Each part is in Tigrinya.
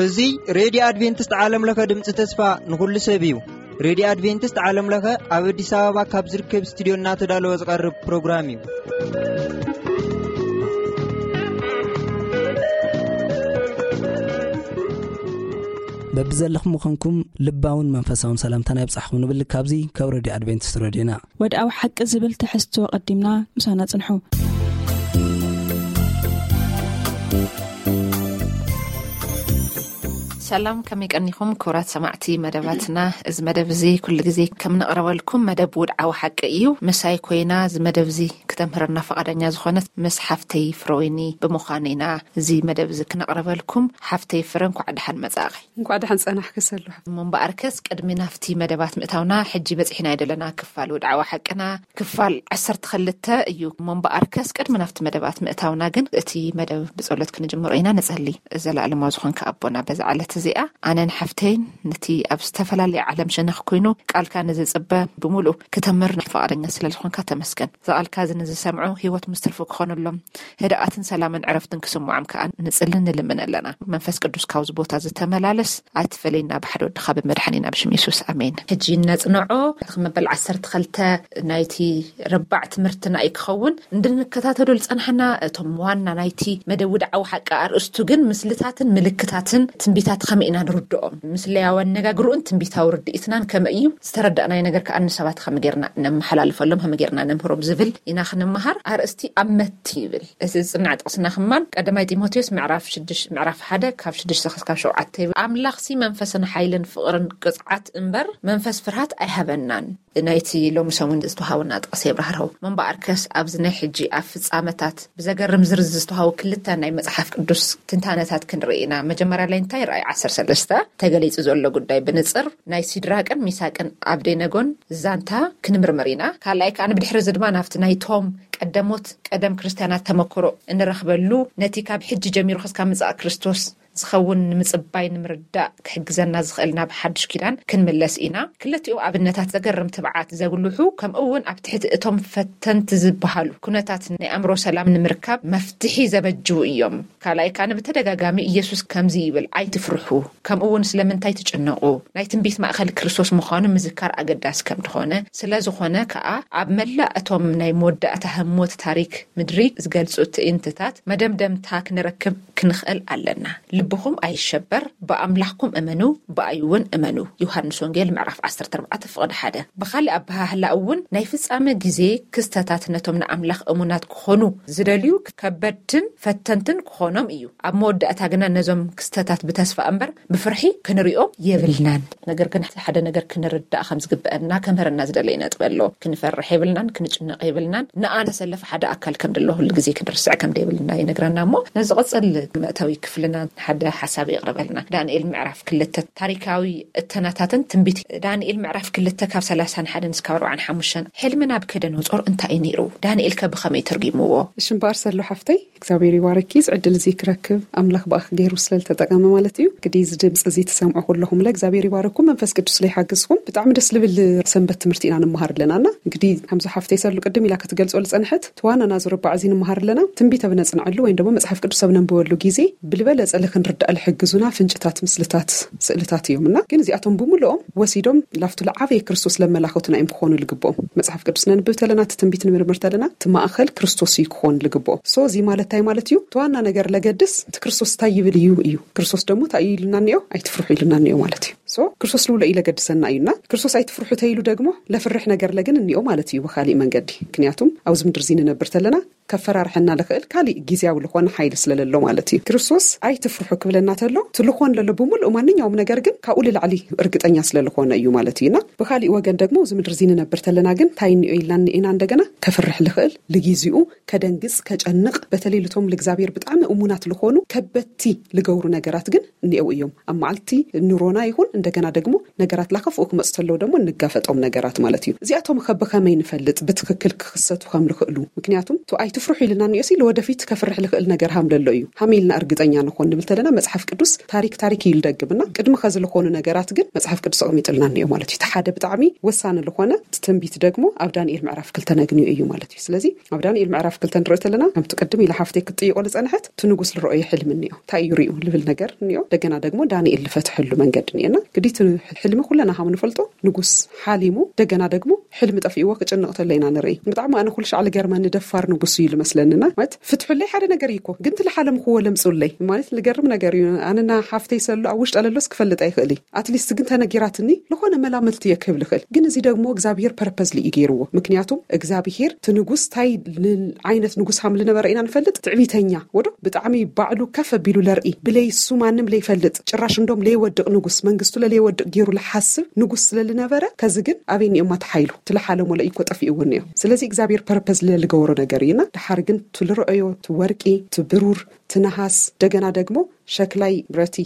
እዚ ሬድዮ ኣድቬንቲስት ዓለም ለኸ ድምፂ ተስፋ ንኹሉ ሰብ እዩ። ሬድዮ ኣድቬንቲስት ዓለም ለኸ ኣብ ኣዲስ ኣበባ ካብ ዝርከብ ስቱዲዮ እናተዳለወ ዝቐርብ ፕሮግራም እዩ። በብዘለኹም ምዃንኩም ልባውን መንፈሳውን ሰላምታና ይብጻሕኩም ንብል ካብዚ ካብ ሬድዮ ኣድቬንቲስት ሬድዮና። ወድኣዊ ሓቂ ዝብል ትሕዝቶ ቀዲምና ምሳና ጽንሑ። ሰላም፣ ከመይ ቀኒኹም ክቡራት ሰማዕቲ መደባትና? እዚ መደብ እዚ ኩሉ ግዜ ከም ንቕረበልኩም መደብ ውድዓዊ ሓቂ እዩ። ምሳይ ኮይና እዚ መደብ እዚ ክተምህረና ፈቓደኛ ዝኾነት ምስ ሓፍተይ ፍረወይኒ ብምዃን ኢና እዚ መደብ እዚ ክነቕርበልኩም። ሓፍተይ ፍረ፣ እንኳዕ ደሓን መጻእኺ። እንኳዕ ደሓን ጸናሕኪ ሰሉ። እሞ እምበኣርከስ ቅድሚ ናብቲ መደባት ምእታውና፣ ሕጂ በጺሕና ዘለና ክፋል ውድዓዊ ሓቅና ክፋል ዓሰርተ ክልተ እዩ። እሞ እምበኣርከስ ቅድሚ ናብቲ መደባት ምእታውና ግን እቲ መደብ ብጸሎት ክንጅምሮ ኢና። ንጸሊ። ዘለኣለማዊ ዝኾንካ ኣቦና፣ በዛ ዕለት እዚኣ ኣነን ሓፍተይን ነቲ ኣብ ዝተፈላለየ ዓለም ሸነኽ ኮይኑ ቃልካ ንዝጽበ ብምሉእ ክተምህር ፍቓደኛ ስለ ዝኾንካ ተመስገን። እዚ ቃልካ እዚ ንዝሰምዑ ህይወት ምስትርፉ ክኾነሎም፣ ህድኣትን ሰላምን ዕረፍትን ክስምዖም ከኣ ንጽልን ንልምን ኣለና። መንፈስ ቅዱስ ካብዚ ቦታ ዝተመላለስ ኣይትፈለየና፣ ብሓደ ወድኻ ብመድሓኒና ብሽም የሱስ፣ ኣሜን። ሕጂ ነጽንዖ። መበል ዓሰርተ ክልተ ናይቲ ረባዕ ትምህርትና እዩ ክኸውን። እንድንከታተሎ ዝጸናሕና እቶም ዋና ናይቲ መደብ ውድዓዊ ሓቂ ኣርእስቱ ግን ምስልታትን ምልክታትን ትንቢታት ከመይ ኢና ንርድኦም? ምስለያዊ ኣነጋግርኡን ትንቢታዊ ርድኢትናን ከመይ እዩ? ዝተረዳእናዮ ነገር ከኣ ንሰባት ከመይ ጌርና ነመሓላልፈሎም፣ ከመይ ጌርና ነምህሮም ዝብል ኢና ክንመሃር። ኣርእስቲ ኣብ መቲ ይብል። እዚ ዝጽናዕ ጥቕስና ከማን ቀዳማይ ጢሞቴዎስ ምዕራፍ ሽዱሽተ፣ ምዕራፍ ሓደ ካብ ሽዱሽተ ክሳብ ሸውዓተ ይብል። ኣምላኽሲ መንፈስን ሓይልን ፍቕርን ቅጽዓት እምበር መንፈስ ፍርሃት ኣይሃበናን። ናይቲ ሎሚ ሰሙን ዝተዋሃቡና ጥቕሲ የብራህርሆ። እምበኣርከስ ኣብዚ ናይ ሕጂ ኣብ ፍጻመታት ብዘገርም ዝርዝር ዝተዋሃቡ ክልተ ናይ መጽሓፍ ቅዱስ ትንታነታት ክንርኢ ኢና። መጀመርያ ላይ እንታይ ራእይ ዓሰርተ ሰለስተ ተገሊጹ ዘሎ ጉዳይ ብንጽር ናይ ሲድራቅን ሚሳቅን ኣብደነጎን ዛንታ ክንምርምር ኢና። ካልኣይ ከኣ ብድሕሪ እዚ ድማ ናብቲ ናይቶም ቀደሞት ቀደም ክርስትያናት ተመክሮ እንረኽበሉ፣ ነቲ ካብ ሕጂ ጀሚሩ ክስካብ ምጻእ ክርስቶስ ዝኸውን ንምጽባይ ንምርዳእ ክሕግዘና ዝኽእል ናብ ሓድሽ ኪዳን ክንምለስ ኢና። ክልቲኡ ኣብነታት ዘገርም ትብዓት ዘጉልሑ፣ ከምኡ እውን ኣብ ትሕቲ እቶም ፈተንቲ ዝበሃሉ ኩነታት ናይ ኣእምሮ ሰላም ንምርካብ መፍትሒ ዘበጅዉ እዮም። ካልኣይ ከኣ ብተደጋጋሚ ኢየሱስ ከምዚ ይብል፣ "ኣይትፍርሑ፣ ከምኡ እውን ስለምንታይ ትጭነቑ?" ናይ ትንቢት ማእከል ክርስቶስ ምዃኑ ምዝካር ኣገዳሲ ከም ዝኾነ፣ ስለ ዝኾነ ከኣ ኣብ መላእ እቶም ናይ መወዳእታ ህሞት ታሪክ ምድሪ ዝገልጹ ትእይንትታት መደምደምታ ክንረክብ ክንኽእል ኣለና። "ልብኹም ኣይሸበር፣ ብኣምላኽኩም እመኑ፣ ብኣይ እውን እመኑ።" ዮሃንስ ወንጌል ምዕራፍ ዓሰርተ ኣርባዕተ ፍቕዲ ሓደ። ብኻልእ ኣበሃህላ እውን ናይ ፍጻመ ግዜ ክስተታት ነቶም ንኣምላኽ እሙናት ክኾኑ ዝደልዩ ከበድትን ፈተንትን ክኾኖም እዩ። ኣብ መወዳእታ ግና ነዞም ክስተታት ብተስፋ እምበር ብፍርሒ ክንሪኦም የብልናን። ነገር ግን ሓደ ነገር ክንርዳእ ከም ዝግበአና ከምህረና ዝደለየ ነጥቢ ኣሎ። ክንፈርሕ የብልናን፣ ክንጭነቕ የብልናን። ንኣና ሰለፍ ሓደ ኣካል ከም ደሎ ኩሉ ግዜ ክንርስዕ ከም ደይብልና ይነግረና። እሞ ነዚ ዝቕጽል መእተዊ ክፍልና ሓደ ሓሳብ የቕርበልና። ዳንኤል ምዕራፍ ክልተ ታሪካዊ እተናታትን ትንቢት ዳንኤል ምዕራፍ ክልተ ካብ ሰላሳን ሓደን እስካብ ኣርባዓን ሓሙሽተን። ሕልሚ ናቡከደነጾር እንታይ እዩ ነይሩ? ዳንኤል ከ ብኸመይ ተርጒምዎ? እሺ እምበኣር ሰሉ ሓፍተይ፣ እግዚኣብሔር ይባርኪ። እዚ ዕድል እዚ ክረክብ ኣምላኽ ብኣኽ ገይሩ ስለ ዝተጠቀመ ማለት እዩ። እንግዲህ እዚ ድምፂ እዚ ትሰምዑ ኩለኹም ለ እግዚኣብሔር ይባርኩም፣ መንፈስ ቅዱስ ለ ይሓግዝኩም። ብጣዕሚ ደስ ልብል ሰንበት ትምህርቲ ኢና ንመሃር ኣለና። እና እንግዲህ ከምዚ ሓፍተይ ሰሉ ቅድም ኢላ ክትገልጾ ዝጸንሐት እቲ ዋና ናዚ ርባዕ እዚ ንመሃር ኣለና። ትንቢት ኣብ ነጽንዐሉ ወይም ደግሞ መጽሓፍ ቅዱስ ኣብ ነንብበሉ ግዜ ብልበለጸ ለ ክንርዳእ ልሕግዙና ፍንጭታት፣ ምስልታት፣ ስእልታት እዮም። እና ግን እዚኣቶም ብምልኦም ወሲዶም ላፍቱ ለዓበየ ክርስቶስ ለመላኸቱና እዮም ክኾኑ ልግብኦም። መጽሓፍ ቅዱስ ነንብብ ተለና፣ እቲ ትንቢት ንምርምር ተለና፣ እቲ ማእኸል ክርስቶስ እዩ ክኾን ልግብኦ። ሶ እዚ ማለት እንታይ ማለት እዩ? እቲ ዋና ነገር ለገድስ እቲ ክርስቶስ እንታይ ይብል እዩ እዩ። ክርስቶስ ደግሞ እንታይ እዩ ኢሉና እኒኦ? ኣይትፍርሑ ኢሉና እኒኦ ማለት እዩ። ሶ ክርስቶስ ልብሎ እዩ ለገድሰና እዩና፣ ክርስቶስ ኣይትፍርሑ ተይሉ ደግሞ ለፍርሕ ነገር ለግን እኒኦ ማለት እዩ ብኻሊእ መንገዲ። ምክንያቱም ኣብዚ ምድር እዚ ንነብር ተለና ከፈራርሐና ልኽእል ካሊእ ግዜያዊ ልኾነ ሓይሊ ስለለሎ ማለት እዩ። ክርስቶስ ኣይትፍርሑ ክብለና ተሎ፣ እቲ ልኾን ለሎ ብምሉእ ማንኛውም ነገር ግን ካብኡ ልላዕሊ እርግጠኛ ስለልኾነ እዩ ማለት እዩና። ብኻሊእ ወገን ደግሞ እዚ ምድሪ እዚ ንነብር ተለና ግን እንታይ እኒኦ ኢልና እኒኤና? እንደገና ከፍርሕ ልኽእል፣ ልጊዜኡ ከደንግጽ፣ ከጨንቕ፣ በተለይ ልቶም ልእግዚኣብሔር ብጣዕሚ እሙናት ልኾኑ ከበድቲ ልገብሩ ነገራት ግን እኒኤው እዮም። ኣብ መዓልቲ ኑሮና ይኹን እንደገና ደግሞ ነገራት ላከፍኡ ክመፁ ተለዉ ደግሞ እንጋፈጦም ነገራት ማለት እዩ። እዚኣቶም ከ ብኸመይ ንፈልጥ ብትክክል ክኽሰቱ ከም ልኽእሉ? ምክንያቱም ቱ ኣይትፍርሑ ኢልና እኒኦሲ፣ ለወደፊት ከፍርሕ ልኽእል ነገር ሃም ለሎ እዩ። ሃመ ኢልና እርግጠኛ ንኾን ንብል ተለና መፅሓፍ ቅዱስ ታሪክ ታሪክ እዩ ልደግምና። ቅድሚ ኸዚ ልኾኑ ነገራት ግን መፅሓፍ ቅዱስ ኣቕሚጥልና እኒኦ ማለት እዩ። እቲ ሓደ ብጣዕሚ ወሳኒ ልኾነ ትንቢት ደግሞ ኣብ ዳንኤል ምዕራፍ ክልተ ነግንዮ እዩ ማለት እዩ። ስለዚ ኣብ ዳንኤል ምዕራፍ ክልተ ንርኢ ተለና ከምቲ ቅድም ኢላ ሓፍተይ ክትጥይቆ ዝፀንሐት እቲ ንጉስ ልረኦዮ ሕልሚ እኒኦ። እንታይ እዩ ሪኡ ልብል ነገር እኒኦ። እንደገና ደግሞ ዳንኤል ልፈትሐሉ መንገዲ እኒኦና። ግዲ እቲ ሕልሚ ኩለና ከም ንፈልጦ ንጉስ ሓሊሙ እንደገና ደግሞ ሕልሚ ጠፊእዎ ክጭንቕ ተሎ ኢና ንርኢ። ብጣዕሚ ኣነ ኩሉ ሻዕ ልገርመኒ ደፋር ንጉስ እዩ ልመስለንና። ማለት ፍትሑለይ ሓደ ነገር እዩ እኮ፣ ግን ትልሓለምክዎ ለምፁለይ ማለት ልገርም ነገር እዩ። ኣነና ሓፍተይ ሰሎ ኣብ ውሽጢ ኣለሎስ ክፈልጥ ኣይኽእል እዩ። ኣትሊስት ግን ተነጊራትኒ ልኾነ መላምልቲ እየ ክህብ ልኽእል። ግን እዚ ደግሞ እግዚኣብሔር ፐርፐዝሊ እዩ ገይርዎ። ምክንያቱም እግዚኣብሔር እቲ ንጉስ እንታይ ል- ዓይነት ንጉስ ሃም ልነበረ ኢና ንፈልጥ። ትዕቢተኛ ወዶ ብጣዕሚ ባዕሉ ከፍ ኣቢሉ ለርኢ፣ ብለይ እሱ ማንም ለይፈልጥ፣ ጭራሽ እንዶም ለይወድቕ ንጉስ፣ መንግስቱ ለለይወድቕ ገይሩ ልሓስብ ንጉስ ስለልነበረ፣ ከዚ ግን ኣበይ እኒኦማ ተሓይሉ ትልሓለሞ ለእኮ ጠፊእዎ እኒኦ። ስለዚ እግዚኣብሔር ፐርፐዝ ለልገበሮ ነገር እዩና። ድሓር ግን ትልረአዮ ትወርቂ ትብሩር ትነሃስ እንደገና ደግሞ ሸክላይ ብረቲ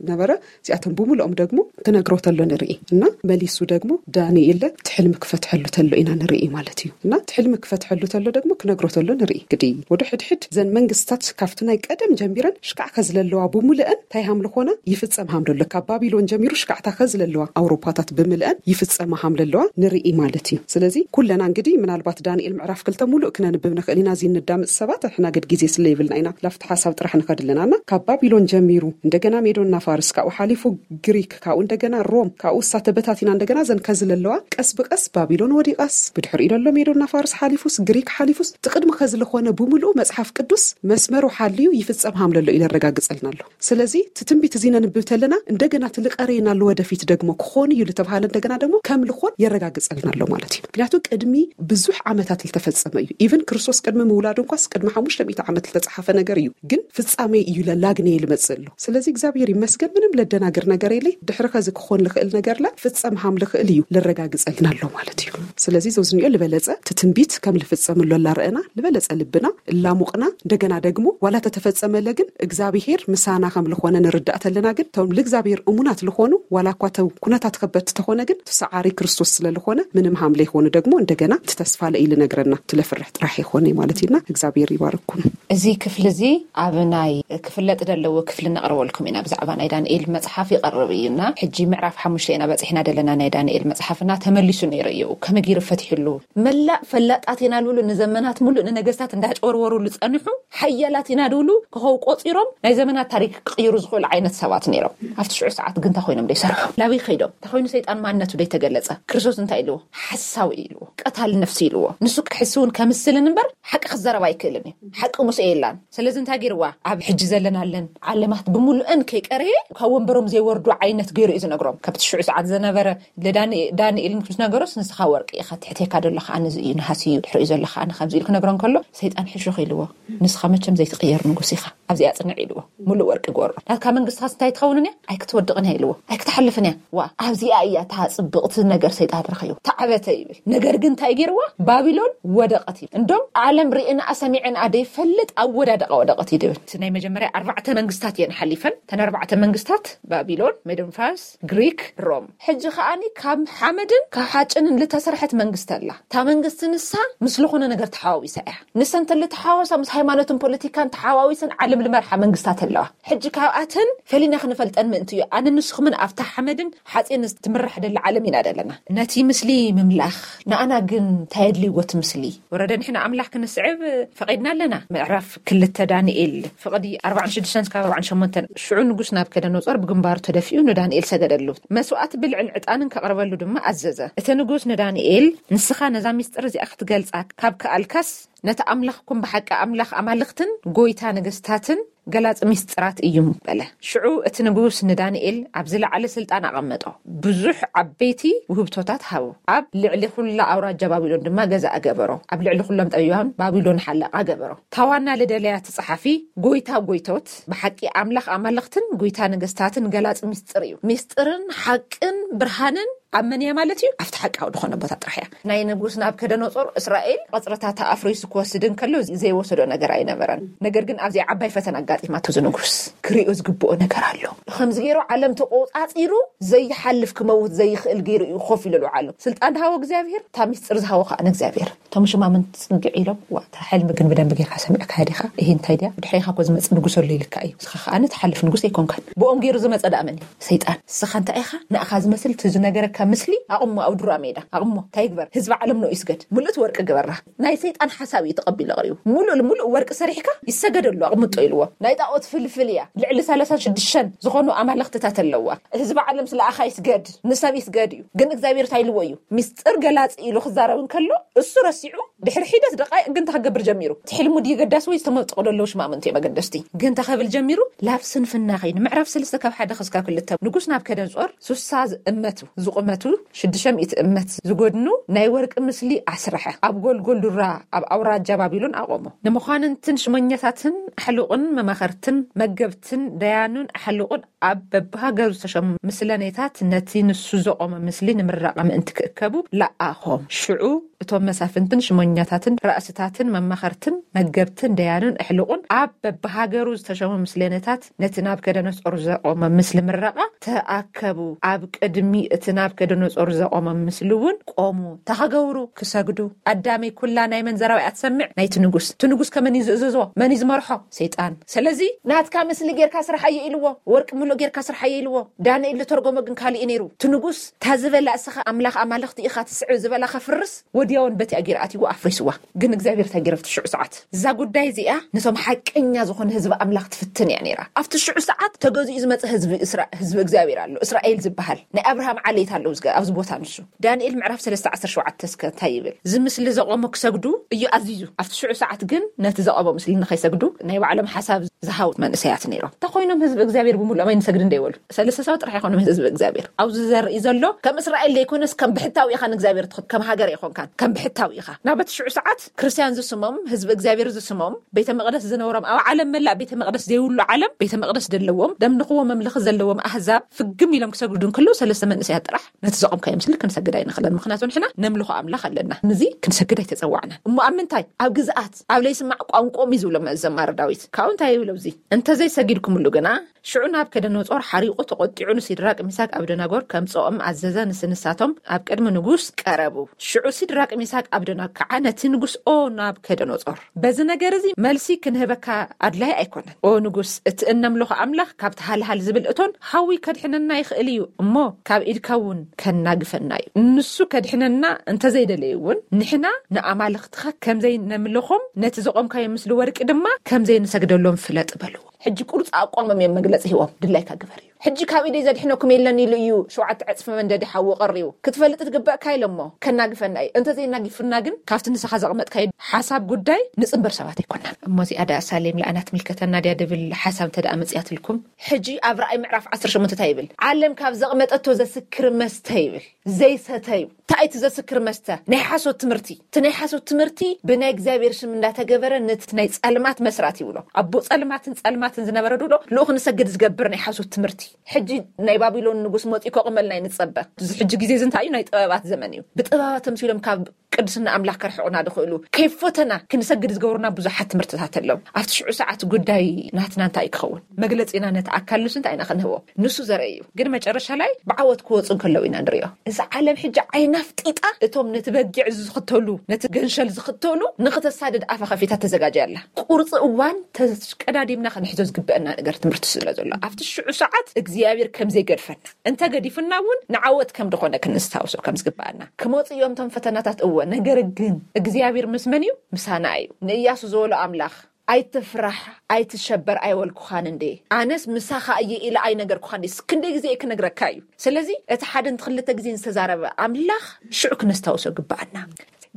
ነበረ። እዚኣቶም ብምልኦም ደግሞ ክነግሮ ተሎ ንርኢ እና መሊሱ ደግሞ ዳንኤል እቲ ሕልሚ ክፈትሐሉ ተሎ ኢና ንርኢ ማለት እዩ። እና እቲ ሕልሚ ክፈትሐሉ ተሎ ደግሞ ክነግሮ ተሎ ንርኢ። ግዲ ወደ ሕድሕድ ዘን መንግስታት ካብቲ ናይ ቀደም ጀሚረን ሽካዕ ከዝለለዋ ብምልአን እንታይ ሃምልኾና ይፍጸም ሃምለሎ። ካብ ባቢሎን ጀሚሩ ሽካዕታ ከዝለለዋ ኣውሮፓታት ብምልአን ይፍጸማ ሃምለለዋ ንርኢ ማለት እዩ። ስለዚ ኩለና እንግዲ ምናልባት ዳንኤል ምዕራፍ ክልተ ሙሉእ ክነንብብ ንኽእል ኢና። እዚ እንዳምፅ ሰባት ሕና ግድ ግዜ ስለ ይብልና ኢና ላፍቲ ሓሳብ ጥራሕ ንኸድልናና። ካብ ባቢሎን ጀሚሩ እንደገና ሜዶና ፋርስ፣ ካብኡ ሓሊፉ ግሪክ፣ ካብኡ እንደገና ሮም፣ ካብኡ እሳ ተበታቲና እንደገና ዘን ከዝለለዋ ቀስ ብቀስ ባቢሎን ወዲቃስ ብድሕሪኡ ደሎ ሜዶና ፋርስ ሓሊፉስ ግሪክ ሓሊፉስ ትቅድሚ ከዝለኾነ ብምልኡ መጽሓፍ ቅዱስ መስመሩ ሓልዩ ይፍጸም ሃምለሎ ኢለ ኣረጋግጸልና ኣሎ። ስለዚ እቲ ትንቢት እዚ ነንብብ ተለና እንደገና ትልቀሬና ለወደፊት ደግሞ ክኾን እዩ ልተባሃለ እንደገና ደግሞ ከም ልኾን የረጋግጸልና ኣሎ ማለት እዩ። ምክንያቱ ቅድሚ ብዙሕ ዓመታት ልተፈጸመ እዩ። ኢቨን ክርስቶስ ቅድሚ ምውላዱ እንኳስ ቅድሚ ሓሙሽተ ሚእቲ ዓመት ልተጻሓፈ ነገር እዩ። ግን ፍጻሜ እዩ ለላግነየ ልመጽእ ኣሎ። ስለዚ እግዚኣብሔር ይመስገን ምንም ለደናግር ነገር የለይ። ድሕሪ ከዚ ክኾን ልኽእል ነገርላ ፍጸም ሃም ልኽእል እዩ ልረጋግጸልና ኣሎ ማለት እዩ። ስለዚ ዘውዝኒኦ ልበለጸ እቲ ትንቢት ከም ልፍጸም ኣሎ ላረአና ልበለጸ ልብና እላሙቕና እንደገና ደግሞ ዋላ ተተፈጸመለ ግን እግዚኣብሔር ምሳና ከም ልኾነ ንርዳእ ተለና ግን እቶም ልእግዚኣብሔር እሙናት ልኾኑ ዋላ እኳ እቶም ኩነታት ከበድቲ ተኾነ ግን እቲ ሰዓሪ ክርስቶስ ስለ ልኾነ ምንም ሃም ለይኾኑ ደግሞ እንደገና እቲ ተስፋ ለኢሉ ነግረና ትለፍርሕ ጥራሕ ይኾነ ማለት ኢልና እግዚኣብሔር ይባርኩም። እዚ ክፍሊ እዚ ኣብ ናይ ክፍለጥ ደለዎ ክፍሊ ነቕርበልኩም ኢና። ብዛዕባ ናይ ዳንኤል መጽሓፍ ይቐርብ እዩና ሕጂ ምዕራፍ ሓሙሽተ ኢና በጺሕና ደለና። ናይ ዳንኤል መጽሓፍና ተመሊሱ ነይሩ እዩ። ከመይ ገይሩ ፈትሕሉ መላእ ፈላጣት ኢና ልብሉ ንዘመናት ሙሉእ ንነገስታት እንዳጨወርወሩ ዝጸንሑ ሓያላት ኢና ድብሉ ክኸው ቆጺሮም ናይ ዘመናት ታሪክ ክቕይሩ ዝኽእሉ ዓይነት ሰባት ነይሮም። ኣብቲ ሽዑ ሰዓት ግን እንታይ ኮይኖም ዘይሰርሑ ናበይ ከይዶም እንታይ ኮይኑ ሰይጣን ማንነቱ ዘይተገለጸ ክርስቶስ እንታይ ኢልዎ ሓሳዊ ኢልዎ ቀታል ነፍሲ ኢልዎ ንሱ ክሕስውን ከምስልን እምበር ሓቂ ክዘረብ ኣይክእልን እዩ። ሓቂ ሙሴ የላን። ስለዚ እንታይ ገይርዋ ኣብ ሕጂ ዘለናለን ዓለማት ብምሉእን ከይቀረየ ካብ ወንበሮም ዘይወርዱ ዓይነት ገይሩ እዩ ዝነግሮም። ካብቲ ሽዑ ሰዓት ዝነበረ ለዳንኤል ምስ ነገሮስ ንስኻ ወርቂ ኢኻ ትሕቴካ ደሎ ከኣ ንዚ እዩ ነሃሲ እዩ ድሕሪኡ ዘሎ ከኣ ንከምዚ ኢሉ ክነግሮ እንከሎ ሰይጣን ሕሹኽ ኢልዎ ንስኻ መቸም ዘይትቕየር ንጉስ ኢኻ ኣብዚኣ ጽንዕ ኢልዎ። ሙሉእ ወርቂ ጎሮ ናትካ መንግስትኻስ እንታይ ትኸውንን እያ ኣይክትወድቕን እያ ኢልዎ። ኣይክትሓልፍን እያ ዋ ኣብዚኣ እያ እታ ጽብቕቲ ነገር ሰይጣን ረኸዩ ተዓበተ ይብል። ነገር ግን እንታይ ገይርዋ ባቢሎን ወደቐት ይብል። እንዶም ዓለም ርእንኣ ሰሚዕንኣ ደይፈልጥ ኣብ ወዳደቐ ወደቐት እዩ ድብል። እቲ ናይ መጀመርያ ኣርባዕተ መንግስታት እየን ሓሊፈን። እተን ኣርባዕተ መንግስታት ባቢሎን፣ ሜዶን ፋርስ፣ ግሪክ፣ ሮም። ሕጂ ከኣኒ ካብ ሓመድን ካብ ሓጭንን ልተሰርሐት መንግስቲ ኣላ። እታ መንግስቲ ንሳ ምስ ዝኾነ ነገር ተሓዋዊሳ እያ። ንሰን ተልተሓዋወሳ ምስ ሃይማኖትን ፖለቲካን ተሓዋዊሰን ዓለም ልመርሓ መንግስታት ኣለዋ። ሕጂ ካብኣተን ፈሊና ክንፈልጠን ምእንቲ እዩ። ኣነ ንስኹምን ኣብታ ሓመድን ሓፂን ትምራሕ ደላ ዓለም ኢና ደለና። ነቲ ምስሊ ምምላኽ ንኣና ግን እንታይ ኣድልይዎ እቲ ምስሊ? ወረደ ንሕና ኣምላኽ ክንስዕብ ፈቒድና ኣለና። ምዕራፍ ክልተ ዳንኤል ፍቕዲ ኣርባዓን ሽዱሽተን እስካብ ኣርባዓን ሸሞንተን ሽዑ ንጉስ ናብከደነጾር ብግንባሩ ተደፊኡ ንዳንኤል ሰገደሉ። መስዋእቲ ብልዕን ዕጣንን ከቕርበሉ ድማ ኣዘዘ። እቲ ንጉስ ንዳንኤል ንስኻ ነዛ ሚስጥር እዚኣ ክትገልጻ ካብ ከኣልካስ ነቲ ኣምላኽኩም ብሓቂ ኣምላኽ ኣማልኽትን ጎይታ ነገስታትን ገላጺ ሚስጥራት እዩ በለ። ሽዑ እቲ ንጉስ ንዳንኤል ኣብ ዝለዓለ ስልጣን ኣቐመጦ። ብዙሕ ዓበይቲ ውህብቶታት ሃቦ። ኣብ ልዕሊ ኩላ ኣውራጃ ባቢሎን ድማ ገዛኢ ገበሮ። ኣብ ልዕሊ ኩሎም ጠቢባን ባቢሎን ሓለቓ ገበሮ። እታ ዋና ልደለያ እቲ ጸሓፊ ጎይታ ጎይቶት ብሓቂ ኣምላኽ ኣማልኽትን ጎይታ ነገስታትን ገላጺ ሚስጥር እዩ። ሚስጥርን ሓቅን ብርሃንን ኣብ መን እያ ማለት እዩ? ኣብቲ ሓቃዊ ዝኾነ ቦታ ጥራሕ እያ። ናይ ንጉስ ናብከደነጾር እስራኤል ቐጽርታታ ኣፍሪሱ ክወስድ እንከሎ ዘይወሰዶ ነገር ኣይነበረን። ነገር ግን ኣብዚኣ ዓባይ ፈተና ኣጋጢማቶ፣ እዚ ንጉስ ክሪኦ ዝግብኦ ነገር ኣሎ። ከምዚ ገይሩ ዓለም ተቆጻጺሩ ዘይሓልፍ ክመውት ዘይኽእል ገይሩ እዩ ኮፍ ኢሉ ኣሎ። ስልጣን ዝሃቦ እግዚኣብሔር፣ እታ ሚስጥር ዝሃቦ ከዓ ንእግዚኣብሔር። እቶም ሽማምንቲ ጽግዕ ኢሎም፣ "ዋ፣ እታ ሕልሚ ግን ብደንብ ጌርካ ሰሚዕካ ዲኻ? ይሄ እንታይ ድያ? ድሕሬኻ እኮ ዝመጽእ ንጉስ ኣሎ ኢልካ እዩ። ንስኻ ከኣ ትሓልፍ ንጉስ ኣይኮንካን። ብኦም ገይሩ ዝመጸ ደኣ መን እዩ? ሰይጣን። ንስኻ እንታይ ኢኻ? ንኣኻ ዝመስል እቲ ዝነገረካ ምስሊ ኣቕሞ ኣብ ዱራ ሜዳ። ኣቕሞ። እንታይ ይግበር? ህዝቢ ዓለም ንኡ ይስገድ። ምልእቲ ወርቂ ግበራ." ናይ ሰይጣን ሓሳብ እዩ ተቐቢሉ ኣቕሪቡ። ሙሉእ ልሙሉእ ወርቂ ሰሪሕካ ይሰገደሉ፣ ኣቕምጦ ኢልዎ። ናይ ጣዖት ፍልፍል እያ። ልዕሊ ሰላሳን ሽዱሽተን ዝኾኑ ኣማልኽትታት ኣለዋ። ህዝቢ ዓለም ስለ ኣኻ ይስገድ፣ ንሰብ ይስገድ እዩ። ግን እግዚኣብሔር እንታይ ኢልዎ እዩ? ሚስጥር ገላጺ ኢሉ ክዛረብ እንከሎ፣ እሱ ረሲዑ፣ ድሕሪ ሒደት ደቃይቅ ግን እንታይ ክገብር ጀሚሩ? እቲ ሕልሙ ድዩ ገዳሲ ወይ ዝተመጠቑ ዘለዉ ሽማምንቲ እዮም ኣገደስቲ? ግን እንታይ ክብል ጀሚሩ? ላብ ስንፍና ኸይኑ፣ ምዕራፍ ሰለስተ ካብ ሓደ ክስካብ ክልተ፣ ንጉስ ናብከደንጾር ሱሳ ዝእመቱ፣ ዝቑመቱ ሽዱሽተ ሚእቲ እመት ዝጎድኑ ናይ ወርቂ ምስሊ ኣስርሐ። ኣብ ጎልጎል ዱራ ኣብ ኣውራጃ ባቢሎን ኣቖሞ። ንመኳንንትን ሽመኛታትን ኣሕሉቕን መማኸርትን መገብትን ደያኑን ኣሕሉቕን ኣብ በብሃገሩ ዝተሸሙ ምስለኔታት ነቲ ንሱ ዘቖመ ምስሊ ንምርዳቕ ምእንቲ ክእከቡ ለኣኾም። ሽዑ እቶም መሳፍንትን ሽመኛታትን ራእስታትን መማኸርትን መገብትን ደያኑን ኣሕሉቕን ኣብ በብሃገሩ ዝተሸሙ ምስለኔታት ነቲ ናብከደነጾር ዘቖመ ምስሊ ምረቓ ተኣከቡ። ኣብ ቅድሚ እቲ ናብከደነጾር ዘቖመ ምስሊ እውን ቆሙ። ተኸገብሩ ክሰግዱ። ኣዳመይ ኩላ ናይ መንዘራዊ ኣትሰምዕ ናይቲ ንጉስ። እቲ ንጉስ ከመን እዩ ዝእዝዞ? መን እዩ ዝመርሖ? ሰይጣን። ስለዚ ናትካ ምስሊ ጌርካ ስርሓዮ ኢልዎ፣ ወርቂ ምሉእ ጌርካ ስርሓዮ ኢልዎ። ዳንኤል ዝተርጎሞ ግን ካልእ እዩ ነይሩ። እቲ ንጉስ፣ "እታ ዝበላ እስኻ ኣምላኽ ኣማልኽቲ ኢኻ ትስዕብ ዝበላ ከፍርስ፣ ወዲያውን በቲ ኣጊር ኣትይዎ ኣፍሪስዋ። ግን እግዚኣብሔር እንታይ ገይሩ ኣብቲ ሽዑ ሰዓት?" እዛ ጉዳይ እዚኣ ነቶም ሓቀኛ ዝኾነ ህዝቢ ኣምላኽ ትፍትን እያ ነይራ። ኣብቲ ሽዑ ሰዓት ተገዚኡ ዝመጸ ህዝቢ እስራ-፣ ህዝቢ እግዚኣብሔር ኣሎ። እስራኤል ዝበሃል ናይ ኣብርሃም ዓሌት ኣለዉ ዝገ-፣ ኣብዚ ቦታ ንሱ። ዳንኤል ምዕራፍ ሰለስተ ዓሰርተ ሸውዓተ እስከ እንታይ ይብል? እዚ ምስሊ ዘቆሞ ክሰግዱ እዩ ኣዚዙ። ኣብቲ ሽዑ ሰዓት ግን ነቲ ዘቆሞ ምስሊ ንኸይሰግዱ ናይ ባዕሎም ሓሳብ ዝሃው መንእሰያት ነይሮም። እንተኾይኖም ህዝቢ እግዚኣብሔር ብምሉኦም ኣይንሰግድ እንደ ይበሉ። ሰለስተ ሰባት ጥራሕ ይኾኖም ህዝቢ እግዚኣብሔር። ኣብዚ ዘርኢ ዘሎ ከም እስራኤል ዘይኮነስ ከም ብሕታዊ ኢኻ ንእግዚኣብሔር ትኸ-፣ ከም ሃገር ኣይኾንካን፣ ከም ብሕታዊ ኢኻ። ናብ እቲ ሽዑ ሰዓት ክርስትያን ዝስሞም፣ ህዝቢ እግዚኣብሔር ዝስሞም፣ ቤተ መቕደስ ዝነበሮም፣ ኣብ ዓለም መላእ ቤተ መቕደስ ዘይብሉ ዓለም ቤተ መቕደስ ዘለዎም፣ ደምልኽዎ መምልኺ ዘለዎም ኣህዛብ ፍግም ኢሎም ክሰግዱ እንከለዉ ሰለስተ መንእሰያት ጥራሕ ነቲ ዘቆምካዮ ምስሊ ክንሰግድ ኣይንኽእልን፣ ምኽንያቱ ንሕና ነምልኾ ኣምላኽ ኣለና። ንዚ ክንሰግድ ኣይተጸዋዕናን። እሞ ኣብ ምንታይ? ኣብ ግዝኣት፣ ኣብ ለይስማዕ ቋንቋኦም እዩ ዝብሎም ዘማሪ ዳዊት። ካብኡ እንታይ ይብሎ እዚ? "እንተዘይሰጊድኩምሉ ግና፣ ሽዑ ናብከደነጾር ሓሪቑ ተቖጢዑ ንሲድራቅ፣ ሚሳቅ፣ ኣብደናጎር ከምጽኦም ኣዘዘ። ንስ-፣ ንሳቶም ኣብ ቅድሚ ንጉስ ቀረቡ። ሽዑ ሲድራቅ፣ ሚሳቅ፣ ኣብደናጎ ከዓ ነቲ ንጉስ፣ ኦ ናብከደነጾር፣ በዚ ነገር እዚ መልሲ ክንህበካ ኣድላይ ኣይኮነን። ኦ ንጉስ፣ እቲ እነምልኾ ኣምላኽ ካብቲ ሃልሃል ዝብል እቶን ሓዊ ከድሕነና ይኽእል እዩ እሞ፣ ካብ ኢድካ እውን ከናግፈና እዩ። ንሱ ከድሕነና እንተዘይደለየ እውን፣ ንሕና ንኣማልኽትኻ ከምዘይነምልኾም፣ ነቲ ዘቖምካዮ ምስሊ ወርቂ ድማ ከምዘይንሰግደሎም ፍለጥ" በልዎ። ሕጂ ቁርፂ ኣቋሞም እዮም መግለፂ ሂቦም፣ "ድላይካ ግበር" እዩ። ሕጂ ካብ ኢደይ ዘድሕነኩም የለን ኢሉ እዩ ሸውዓተ ዕፅፊ መንደዲ ሓዊ ቀሪቡ። ክትፈልጥ ትግበእካ ኢለ እሞ ከናግፈና እዩ። እንተዘይናጊፍና ግን ካብቲ ንስኻ ዘቕመጥካዮ ሓሳብ ጉዳይ ንፅንበር ሰባት ኣይኮናን። እሞ እዚኣ ደኣ ሳሌም ለኣና ትምልከተና ድያ ድብል ሓሳብ እንተ ደኣ መፅያትልኩም፣ ሕጂ ኣብ ራእይ ምዕራፍ ዓሰርተ ሸሞንተ እንታይ ይብል? ዓለም ካብ ዘቕመጠቶ ዘስክር መስተ ይብል፣ ዘይሰተዩ። እንታይ እቲ ዘስክር መስተ? ናይ ሓሶት ትምህርቲ። እቲ ናይ ሓሶት ትምህርቲ ብናይ እግዚኣብሔር ሽም እንዳተገበረ ነቲ ናይ ጸልማት መስራት ይብሎ። ኣቦ ጸልማትን ጸልማትን ዝነበረ ድብሎ ልኡኽ ንሰግድ ዝገብር ናይ ሓሶት ትምህርቲ። ሕጂ ናይ ባቢሎን ንጉስ መጺኡ ከቑመልና እዩ ንጸበ። እዚ ሕጂ ግዜ እዚ እንታይ እዩ? ናይ ጥበባት ዘመን እዩ። ብጥበባት ተምሲሎም ካብ ቅድስና ኣምላኽ ከርሕቑና ድኽእሉ፣ ከይፈተና ክንሰግድ ዝገብሩና ብዙሓት ትምህርትታት ኣለዉ። ኣብቲ ሽዑ ሰዓት ጉዳይ ናትና እንታይ እዩ ክኸውን? መግለጺና ነቲ ኣካል ንሱ እንታይ ኢና ክንህቦ? ንሱ ዘርኢ እዩ። ግን መጨረሻ ላይ ብዓወት ክወጹ እንከለዉ ኢና ንሪኦ። እዛ ዓለም ሕጂ ዓይና ኣፍጢጣ እቶም ነቲ በጊዕ ዝኽተሉ፣ ነቲ ገንሸል ዝኽተሉ ንኽተሳድድ ኣፋ ከፊታ ተዘጋጅያ ኣላ። ቁርጺ እዋን ተሽቀዳዲምና ክንሕዞ ዝግበአና ነገር ትምህርቲ ስለ ዘሎ፣ ኣብቲ ሽዑ ሰዓት እግዚኣብሔር ከም ዘይገድፈና፣ እንተ ገዲፉና እውን ንዓወት ከም ድኾነ ክንስታውሶ ከም ዝግበኣና። ክመጹ እዮም እቶም ፈተናታት፣ እወ፣ ነገር ግን እግዚኣብሔር ምስ መን እዩ? ምሳና እዩ። ንእያሱ ዝበሎ ኣምላኽ፣ "ኣይትፍራሕ፣ ኣይትሸበር ኣይበልኩኻን እንዴ? ኣነስ ምሳኻ እየ ኢለ ኣይነገርኩኻን ድስ? ክንደይ ግዜ እየ ክነግረካ እዩ?" ስለዚ እቲ ሓደን ክልተ ግዜን ዝተዛረበ ኣምላኽ ሽዑ ክነስታውሶ ግብኣና።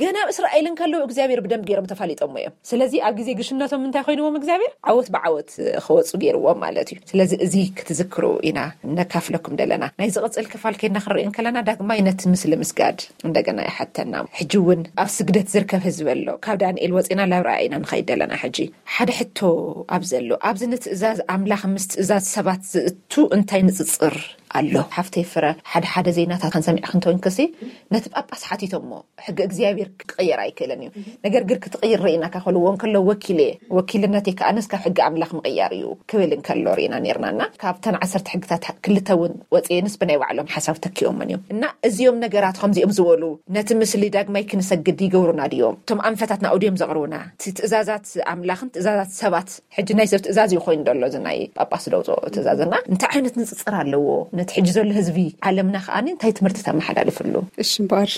ገና ኣብ እስራኤል እንከለዉ እግዚኣብሔር ብደንብ ገይሮም ተፋሊጦሞ እዮም። ስለዚ ኣብ ግዜ ግሽነቶም እንታይ ኮይንዎም? እግዚኣብሔር ዓወት ብዓወት ክወፁ ገይርዎም ማለት እዩ። ስለዚ እዚ ክትዝክሩ ኢና ነካፍለኩም ደለና። ናይ ዝቕፅል ክፋል ከይድና ክንርኢ እንከለና ዳግማይ ነቲ ምስሊ ምስጋድ እንደገና ይሓተና። ሕጂ እውን ኣብ ስግደት ዝርከብ ህዝቢ ኣሎ። ካብ ዳንኤል ወፂና ናብ ራእይና ንኸይድ ደለና። ሕጂ ሓደ ሕቶ ኣብ ዘሎ፣ ኣብዚ ንትእዛዝ ኣምላኽ ምስ ትእዛዝ ሰባት ዝእቱ እንታይ ንፅፅር ኣሎ። ሓፍተይ ፍረ፣ ሓደ ሓደ ዜናታት ክንሰሚዕ ክንተውን ክሲ ነቲ ጳጳስ ሓቲቶሞ፣ ሕጊ እግዚኣብሔር ክቕየር ኣይክእልን እዩ። ነገር ግን ክትቕይር ርኢና ከኸልዎ እንከሎ ወኪል እየ፣ ወኪልነተይ ከኣንስ ካብ ሕጊ ኣምላኽ ምቕያር እዩ ክብል እንከሎ ርኢና ነርናና። ካብተን ዓሰርተ ሕግታት ክልተ እውን ወፅየንስ ብናይ ባዕሎም ሓሳብ ተኪኦምን እዮም። እና እዚኦም ነገራት ከምዚኦም ዝበሉ ነቲ ምስሊ ዳግማይ ክንሰግድ ይገብሩና ድዮም? እቶም ኣንፈታት ናኡ ድዮም ዘቕርቡና? እቲ ትእዛዛት ኣምላኽን ትእዛዛት ሰባት፣ ሕጂ ናይ ሰብ ትእዛዝ እዩ ኮይኑ ዘሎ እዚ ናይ ጳጳስ ደውፅኦ ትእዛዝና እንታይ ዓይነት ንፅፅር ኣለዎ? ነቲ ሕጂ ዘሎ ህዝቢ ዓለምና ከኣ እንታይ ትምህርቲ ተመሓላልፍሉ? እሺ እምበኣር፣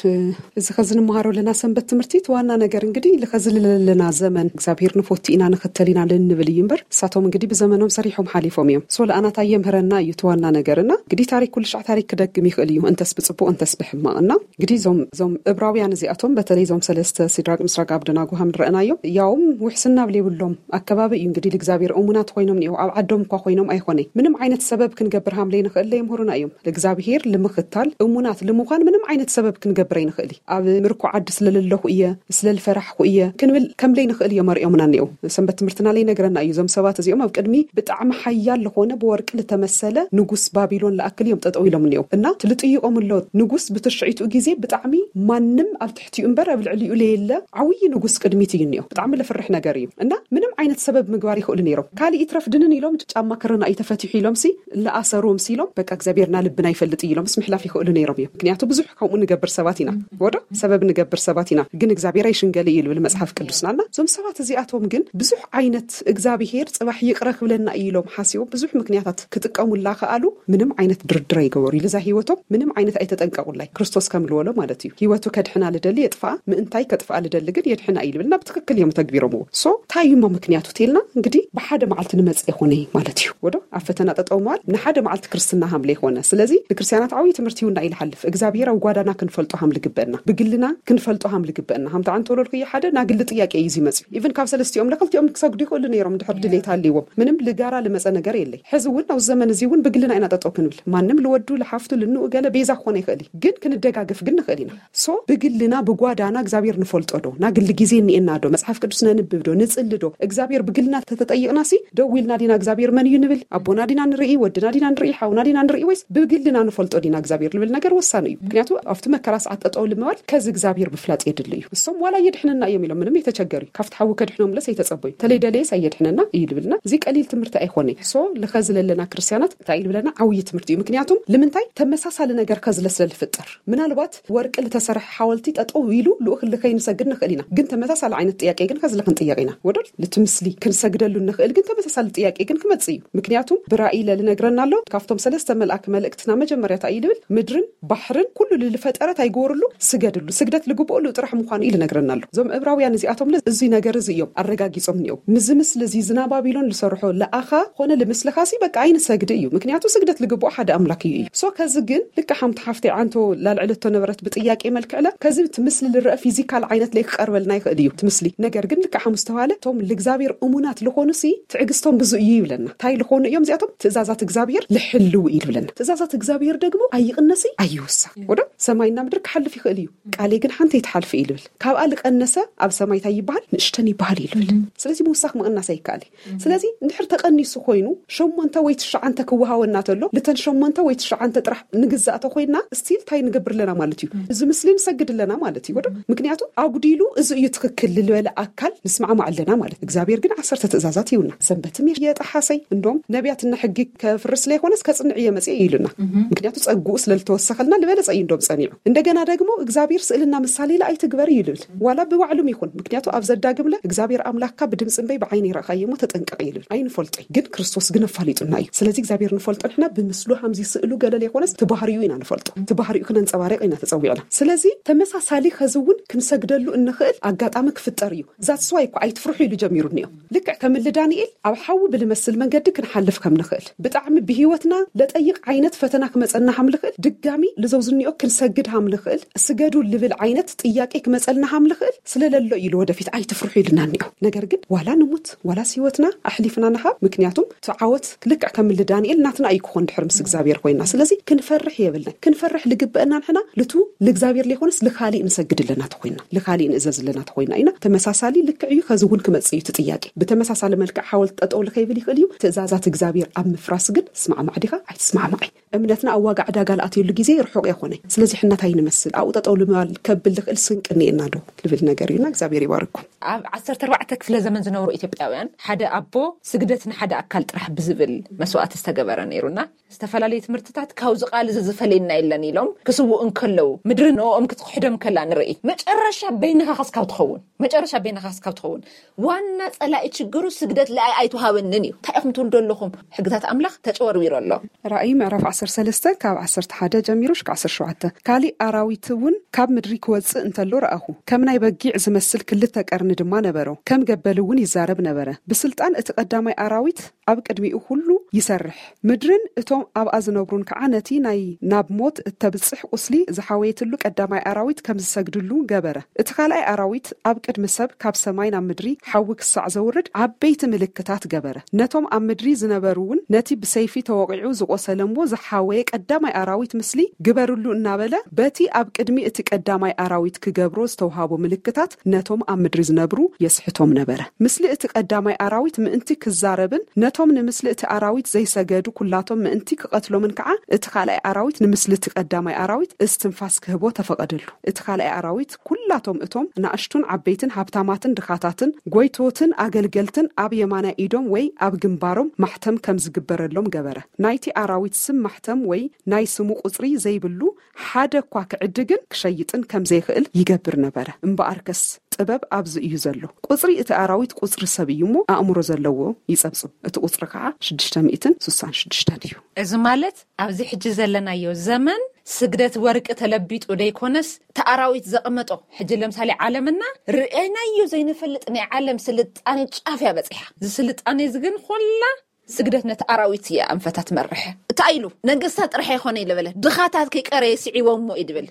እዚ ኸዚ ንምሃሮ ኣለና ሰንበት ትምህርቲ እቲ ዋና ነገር እንግዲህ ልኸዚ ለለና ዘመን እግዚኣብሔር ንፎቲ ኢና ንኽተል ኢና ልንብል እዩ እምበር እሳቶም እንግዲህ ብዘመኖም ሰሪሖም ሓሊፎም እዮም። ሶ ለኣናታ የምህረና እዩ እቲ ዋና ነገርና። እንግዲህ ታሪክ ኩሉ ሻዕ ታሪክ ክደግም ይኽእል እዩ፣ እንተስ ብፅቡቅ እንተስ ብሕማቅና። እንግዲህ እዞም እዞም እብራውያን እዚኣቶም በተለይ እዞም ሰለስተ ሲድራቅ ምስራቅ ኣብደናጎ ሃም ንረእናዮም ያውም ውሕስና ብሌብሎም ኣከባቢ እዩ። እንግዲህ ልእግዚኣብሔር እሙናት ኮይኖም እኒኦ ኣብ ዓዶም እኳ ኮይኖም ኣይኮነ ምንም ዓይነት ሰበብ ክንገብር ሃም ለይንኽእል ለየምህሩና እዮም። ልእግዚኣብሔር ልምኽታል እሙናት ልምዃን ምንም ዓይነት ሰበብ ክንገብር ኣይንኽእል እዩ። ኣብ ምርኮ ዓዲ ስለለለኹ እየ ስለልፈራሕኩ እየ ክንብል ከም ለይንኽእል እዮም ኣርእዮምና እኒኦ። ሰንበት ትምህርትና ለይነግረና እዩ። እዞም ሰባት እዚኦም ኣብ ቅድሚ ብጣዕሚ ሓያል ዝኾነ ብወርቂ ልተመሰለ ንጉስ ባቢሎን ለኣክል እዮም ጠጠው ኢሎም እኒኦ እና ትልጥይቆም ኣሎ ንጉስ ብትሽዒቱ ግዜ ብጣዕሚ ማንም ኣብ ትሕቲኡ እምበር ኣብ ልዕሊኡ ለየለ ዓብዪ ንጉስ ቅድሚት እዩ እኒኦ። ብጣዕሚ ለፍርሕ ነገር እዩ እና ምንም ዓይነት ሰበብ ምግባር ይኽእሉ ነይሮም። ካልእ ይትረፍ ድንን ኢሎም ጫማ ክርና እዩ ተፈቲሑ ኢሎም ሲ ለኣሰሩ ምስ ኢሎም በቃ እግዚኣብሔርና ልብና ይፈልጥ እዩ ኢሎም ምስ ምሕላፍ ይኽእሉ ነይሮም እዮም። ምክንያቱ ብዙሕ ከምኡ ንገብር ሰባት ኢና ወዶ ሰበብ ንገብር ሰባት ኢና ግን እግዚኣብሔር ኣይሽንገል እዩ ልብል መጽሓፍ ቅዱስና እና እዞም ሰባት እዚኣቶም ግን ብዙሕ ዓይነት እግዚኣብሔር ጽባሕ ይቕረ ክብለና እዩ ኢሎም ሓሲቦም ብዙሕ ምክንያታት ክጥቀሙላ ከኣሉ ምንም ዓይነት ድርድር ኣይገበሩ ኢሉ እዛ ህይወቶም ምንም ዓይነት ኣይተጠንቀቁላይ ክርስቶስ ከም ልበሎ ማለት እዩ። ህይወቱ ከድሕና ልደሊ የጥፍኣ ምእንታይ ከጥፍኣ ልደሊ ግን የድሕና እዩ ልብል ናብ ትክክል እዮም ተግቢሮምዎ። ሶ እንታይ እዩማ ምክንያቱ ተልና እንግዲህ ብሓደ መዓልቲ ንመጽእ ይኾነ ማለት እዩ ወዶ ኣብ ፈተና ጠጠው መዋል ንሓደ መዓልቲ ክርስትና ሃምለ ይኾነ። ስለዚ ንክርስቲያናት ዓብዪ ትምህርቲ ይሁና ኢልሓልፍ እግዚኣብሔር ኣብ ጓዳና ክንፈልጦ ሃም ልግበእና ብግልና ክንፈልጦ ሃም ልግበእና ሃምታ ኣንተወለድኩ ሓደ ናግሊ ጥያቄ እዩ ይመጽእ ኢቨን ካብ ሰለስቲኦም ለክልቲኦም ክሰግዱ ይኽእሉ ነይሮም ድሕር ድሌት ሃልይዎም ምንም ልጋራ ልመጸ ነገር የለይ። ሕዚ እውን ኣብ ዘመን እዚ እውን ብግልና ኢና ጠጠው ክንብል ማንም ልወዱ ልሓፍቱ ልንኡ ገለ ቤዛ ክኾነ ይኽእል እዩ ግን ክንደጋገፍ ግን ንኽእል ኢና። ሶ ብግልና ብጓዳና እግዚኣብሔር ንፈልጦ ዶ ናግሊ ግዜ እኒኤና ዶ መጽሓፍ ቅዱስ ነንብብ ዶ ንጽሊ ዶ እግዚኣብሔር ብግልና ተተጠይቕና ሲ ደው ኢልና ዲና እግዚኣብሔር መን እዩ ንብል ኣቦና ዲና ንርኢ ወድና ዲና ንርኢ ሓውና ዲና ንርኢ ወይስ ብግልና ንፈልጦ ዲና እግዚኣብሔር ልብል ነገር ወሳኒ እዩ። ምክንያቱ ኣብቲ መከራ ሰዓት ጠጠው ልምባል ከዚ እግዚኣብሔር ብፍላጥ የድሊ እዩ። እሶም ዋላ የድሕነና እዮም ኢሎም ምንም የተቸገሩ ካብቲ ሓዊ ከድሕኖም ለስ ኣይተጸበዩ ተለይ ደለየስ ኣየድሕነና እዩ ልብልና እዚ ቀሊል ትምህርቲ ኣይኮነ። ሶ ልኸዚ ለለና ክርስቲያናት እንታይ ልብለና ዓብዪ ትምህርቲ እዩ። ምክንያቱም ልምንታይ ተመሳሳሊ ነገር ከዝለ ስለ ልፍጠር ምናልባት ወርቂ ልተሰርሐ ሓወልቲ ጠጠው ኢሉ ልኡክ ልኸይንሰግድ ንኽእል ኢና ግን ተመሳሳሊ ዓይነት ጥያቄ ግን ከዝለ ክንጥየቅ ኢና ወደል ልቲ ምስሊ ክንሰግደሉ ንኽእል ግን ተመሳሳሊ ጥያቄ ግን ክመጽእ እዩ። ምክንያቱም ብራእይ ለልነግረና ኣሎ ካብቶም ሰለስተ መልኣክ መልእክትና መጀመርያታ እዩ ልብል ምድርን ባሕርን ኩሉ ልልፈጠረት ኣይገበርሉ ስገድሉ ስግደት ልግብኦ ልጥራሕ ምዃኑ እዩ ልነግረና ኣሎ። እዞም እብራውያን እዚኣቶም እዚ ነገር እዚ እዮም ኣረጋጊጾም እኒኦም ምዚ ምስሊ እዚ ዝና ባቢሎን ልሰርሖ ለኣኻ ኮነ ልምስልኻሲ በቃ ኣይንሰግድ እዩ ምክንያቱ ስግደት ልግብኦ ሓደ ኣምላክ እዩ እዩ ሶ ከዚ ግን ልካ ሓምቲ ሓፍቲ ዓንቶ ላልዕለቶ ነበረት ብጥያቄ መልክዕለ ከዚ እቲ ምስሊ ልረአ ፊዚካል ዓይነት ለይ ክቀርበልና ይኽእል እዩ እቲ ምስሊ ነገር ግን ልካ ሓሙስ ተባለ እቶም ልእግዚኣብሔር እሙናት ልኾኑ ሲ ትዕግስቶም ብዙ እዩ ይብለና እንታይ ልኾኑ እዮም እዚኣቶም ትእዛዛት እግዚኣብሔር ልሕልው እዩ ልብለና ትእዛዛት እግዚኣብሔር ደግሞ ኣይቕነሲ ኣይውሳ ወዶ ሰማይና ምድር ክሓልፍ ይኽእል እዩ ቃሌ ግን ሓንቲ ይትሓልፍ እዩ ልብል ካብኣ ልቀነሰ ኣብ ሰማይ እንታይ ይበሃል ንእሽተን ይበሃል እዩ ልብል ስለዚ ምውሳኽ ምቕናስ ኣይከኣል እዩ ስለዚ እንድሕር ተቐኒሱ ኮይኑ ሸሞንተ ወይ ትሽዓንተ ክወሃወና ተሎ ልተን ሸሞንተ ወይ ትሽዓንተ ጥራሕ ንግዛእ ተኮይንና ስቲል እንታይ ንገብር ኣለና ማለት እዩ እዚ ምስሊ ንሰግድ ኣለና ማለት እዩ ወዶ ምክንያቱ ኣጉዲሉ እዚ እዩ ትክክል ልበለ ኣካል ንስማዕማዕ ኣለና ማለት እግዚኣብሔር ግን ዓሰርተ ትእዛዛት ይውና ሰንበትም የጠሓሰይ እንዶም ነቢያትና ሕጊ ከፍርስ ለይኮነስ ከጽንዕ እየ መጽእ ኢሉና ምክንያቱ ጸግኡ ስለልተወሰኸልና ልበለጸ እዩ እንዶም ጸኒዑ እንደገና ደግሞ እግዚኣብሔር ስእልና ምሳሌ ለ ኣይትግበር እዩ ልብል ዋላ ብባዕሉም ይኹን ምክንያቱ ኣብ ዘዳግምለ እግዚኣብሔር ኣምላክካ ብድምፂ እምበይ ብዓይኒ ይረእኻዮ እሞ ተጠንቀቕ እዩ ልብል ኣይንፈልጦ እዩ ግን ክርስቶስ ግን ኣፋሊጡና እዩ ስለዚ እግዚኣብሔር ንፈልጦ ንሕና ብምስሉ ሃምዚ ስእሉ ገለል የኮነስ ትባህሪኡ ኢና ንፈልጦ ትባህሪኡ ክነንፀባረቅ ኢና ተፀዊዕና ስለዚ ተመሳሳሊ ከዚ እውን ክንሰግደሉ እንኽእል ኣጋጣሚ ክፍጠር እዩ ዛትስዋይ እኳ ኣይትፍርሑ ኢሉ ጀሚሩ እኒኦ ልክዕ ከም እሊ ዳንኤል ኣብ ሓዊ ብልመስል መንገዲ ክንሓልፍ ከም ንኽእል ብጣዕሚ ብህይወትና ለጠይቕ ዓይነት ፈተና ክመፀና ሃም ልኽእል ድጋሚ ልዘውዝኒኦ ክንሰግድ ሃም ልኽእል ስገዱ ልብል ዓይነት ጥያቄ ክመፀልና ሃም ልኽእል ስለለሎ እዩ ልወደፊት ኣይትፍርሑ ኢልና እኒኦ ነገር ግን ዋላ ንሙት ዋላስ ህይወትና ኣሕሊፍና ንሃብ ምክንያቱም እቲ ዓወት ልክዕ ከም እሊ ዳንኤል ናትና እዩ ክኾን ድሕር ምስ እግዚኣብሔር ኮይና ስለዚ ክንፈርሕ የብልና ክንፈርሕ ልግበአና ንሕና ልቱ ልእግዚኣብሔር ለይኮነስ ልካሊእ ንሰግድ ኣለና ተኮይና ልካሊእ ንእዘዝ ኣለና ተኮይና ኢና ተመሳሳሊ ልክዕ እዩ ከዚ እውን ክመጽእ እዩ እቲ ጥያቄ ብተመሳሳሊ መልክዕ ሓወልቲ ጠጠው ልከይብል ይኽእል እዩ ትእዛዛት እግዚኣብሔር ኣብ ምፍራስ ግን ትስማዕማዕ ዲኻ ኣይትስማዕ ኣማይ እምነትና ኣብ ዋጋ ዕዳጋ ልኣትየሉ ግዜ ርሑቕ የኾነ። ስለዚ ሕና እንታይ ንመስል ኣብኡ ጠጠው ልማል ከብል ዝኽእል ስንቂ እኒኤና ዶ ልብል ነገር እዩና። እግዚኣብሔር ይባርኩም። ኣብ ዓሰርተ ኣርባዕተ ክፍለ ዘመን ዝነበሩ ኢትዮጵያውያን ሓደ ኣቦ ስግደት ንሓደ ኣካል ጥራሕ ብዝብል መስዋዕቲ ዝተገበረ ነይሩና። ዝተፈላለዩ ትምህርትታት ካብዚ ቃል እዚ ዝፈልየና የለን ኢሎም ክስውኡ እንከለዉ ምድሪ ንኦም ክትክሕዶም ከላ ንርኢ። መጨረሻ በይንኻ ከስካብ ትኸውን መጨረሻ በይንኻ ከስካብ ትኸውን ዋና ጸላኢ ችግሩ ስግደት ለኣይ ኣይተዋሃበንን እዩ። እንታይ ኢኹም ትውልዶ ኣለኹም? ሕግታት ኣምላኽ ተጨወርዊሩ ኣሎ። ራእይ ምዕራፍ ዓሰርተ ሰለስተ ካብ ዓሰርተ ሓደ ጀሚሩ ሽካ ዓሰርተ ሸውዓተ። ካሊእ ኣራዊት እውን ካብ ምድሪ ክወጽእ እንተሎ ረኣኹ። ከም ናይ በጊዕ ዝመስል ክልተ ቀርኒ ድማ ነበሮ። ከም ገበል እውን ይዛረብ ነበረ። ብስልጣን እቲ ቀዳማይ ኣራዊት ኣብ ቅድሚኡ ኩሉ ይሰርሕ። ምድርን እቶም ኣብኣ ዝነብሩን ከዓ ነቲ ናይ ናብ ሞት እተብጽሕ ቁስሊ ዝሓወየትሉ ቀዳማይ ኣራዊት ከም ዝሰግድሉ ገበረ። እቲ ካልኣይ ኣራዊት ኣብ ቅድሚ ሰብ ካብ ሰማይ ናብ ምድሪ ሓዊ ክሳዕ ዘውርድ ዓበይቲ ምልክታት ገበረ። ነቶም ኣብ ምድሪ ዝነበሩ እውን ነቲ ብሰይፊ ተወቒዑ ዝቆሰለ እሞ ዝሓወየ ቀዳማይ ኣራዊት ምስሊ ግበርሉ እናበለ በቲ ኣብ ቅድሚ እቲ ቀዳማይ ኣራዊት ክገብሮ ዝተውሃቦ ምልክታት ነቶም ኣብ ምድሪ ዝነብሩ የስሕቶም ነበረ። ምስሊ እቲ ቀዳማይ ኣራዊት ምእንቲ ክዛረብን ነቶም ንምስሊ እቲ ኣራዊት ዘይሰገዱ ኩላቶም ምእንቲ ክቐትሎምን ከዓ እቲ ካልኣይ ኣራዊት ንምስሊ እቲ ቀዳማይ ኣራዊት እስትንፋስ ክህቦ ተፈቐደሉ። እቲ ካልኣይ ኣራዊት ኩላቶም እቶም ናእሽቱን ዓበይትን ሃብታማትን ድኻታትን ጎይቶትን ኣገልገልትን ኣብ የማናይ ኢዶም ወይ ኣብ ግንባሮም ማሕተም ከም ዝግበረሎም ገበረ። ናይቲ ኣራዊት ስም ማሕተም ወይ ናይ ስሙ ቁጽሪ ዘይብሉ ሓደ እኳ ክዕድግን ክሸይጥን ከም ዘይኽእል ይገብር ነበረ። እምበኣርከስ ጥበብ ኣብዚ እዩ ዘሎ። ቁጽሪ እቲ ኣራዊት ቁጽሪ ሰብ እዩ እሞ ኣእምሮ ዘለዎ ይጸብጽብ። እቲ ቁጽሪ ከዓ ሽዱሽተ ሚእትን ስሳን ሽዱሽተን እዩ። እዚ ማለት ኣብዚ ሕጂ ዘለናዮ ዘመን ስግደት ወርቂ ተለቢጡ ደይኮነስ እቲ ኣራዊት ዘቐመጦ ሕጂ ለምሳሌ ዓለምና ርእናዮ ዘይንፈልጥ ናይ ዓለም ስልጣኔ ጫፍ እያ በጺሓ። እዚ ስልጣኔ እዚ ግን ኾላ ስግደት ነቲ ኣራዊት እያ ኣንፈታ ትመርሕ። እንታይ ኢሉ? ነገስታት ጥራሕ ኣይኮነ ኢለ በለ፣ ድኻታት ከይቀረየ ስዒቦሞ እዩ ድብል።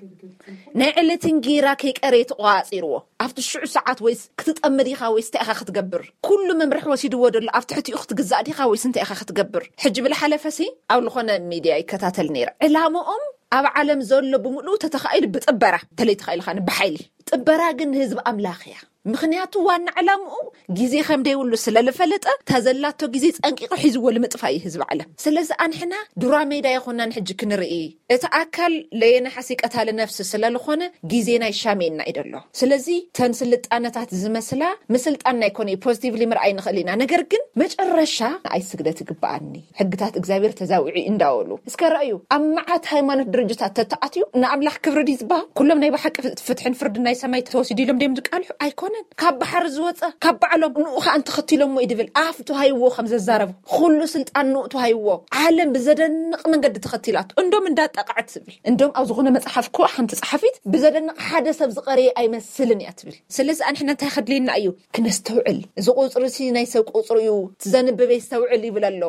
ናይ ዕለትን ጌራ ከይቀረየ ተቆጻጺርዎ። ኣብቲ ሽዑ ሰዓት ወይስ ክትጠምድ ኢኻ ወይስ እንታይ ኢኻ ክትገብር? ኩሉ መምርሒ ወሲድዎ ደሎ ኣብ ትሕቲኡ ክትግዛእ ዲኻ ወይስ እንታይ ኢኻ ክትገብር? ሕጂ ብልሓለፈሲ ኣብ ዝኾነ ሚድያ ይከታተል ነይረ። ዕላምኦም ኣብ ዓለም ዘሎ ብምሉኡ ተተኻኢሉ ብጥበራ ተለይ ተኻኢሉ ኻን ብሓይሊ ጥበራ ግን ህዝብ ኣምላኽ እያ። ምኽንያቱ ዋና ዕላምኡ ግዜ ከም ደይብሉ ስለ ልፈለጠ ተዘላቶ ግዜ ጸንቂቑ ሒዝዎ ልምጥፋ እዩ ህዝብ ዓለም። ስለዚ ኣንሕና ዱራ ሜዳ ይኾናን ሕጂ ክንርኢ እቲ ኣካል ለየነሓሲ ቀታሊ ነፍሲ ስለ ልኾነ ግዜና ይሻሜና እዩ ደሎ። ስለዚ ተን ስልጣነታት ዝመስላ ምስልጣንና ይኮነ ፖዚቲቭሊ ምርኣይ ንኽእል ኢና። ነገር ግን መጨረሻ ንኣይ ስግደት ይግበኣኒ ሕግታት እግዚኣብሔር ተዛዊዑ እንዳበሉ እስከ ረኣዩ ኣብ መዓት ሃይማኖት ድርጅታት ተተኣትዩ ንኣምላኽ ክብሪ ድዩ ዝበሃል? ኩሎም ናይ ብሓቂ ፍትሕን ፍርድን ናይ ሰማይ ተወሲዱ ኢሎም ደዮም ዝቃልሑ? ኣይኮነን። ካብ ባሕሪ ዝወፀ ካብ ባዕሎም ንኡ ከዓ እንተኸትሎሞ እዩ ድብል ኣፍ ተዋሂብዎ ከም ዘዛረቡ ኩሉ ስልጣን ንኡ ተዋሂብዎ ዓለም ብዘደንቕ መንገዲ ተኸቲላቱ እንዶም እንዳጠቃዕት ትብል እንዶም ኣብ ዝኾነ መፅሓፍ እኮ ሓንቲ ፀሓፊት ብዘደንቕ ሓደ ሰብ ዝቐረየ ኣይመስልን እያ ትብል። ስለዚ ኣንሕና እንታይ ከድልየና እዩ ክነስተውዕል። እዚ ቁፅሪ ሲ ናይ ሰብ ቁፅሪ እዩ። ትዘንብብ የስተውዕል ይብል ኣሎ።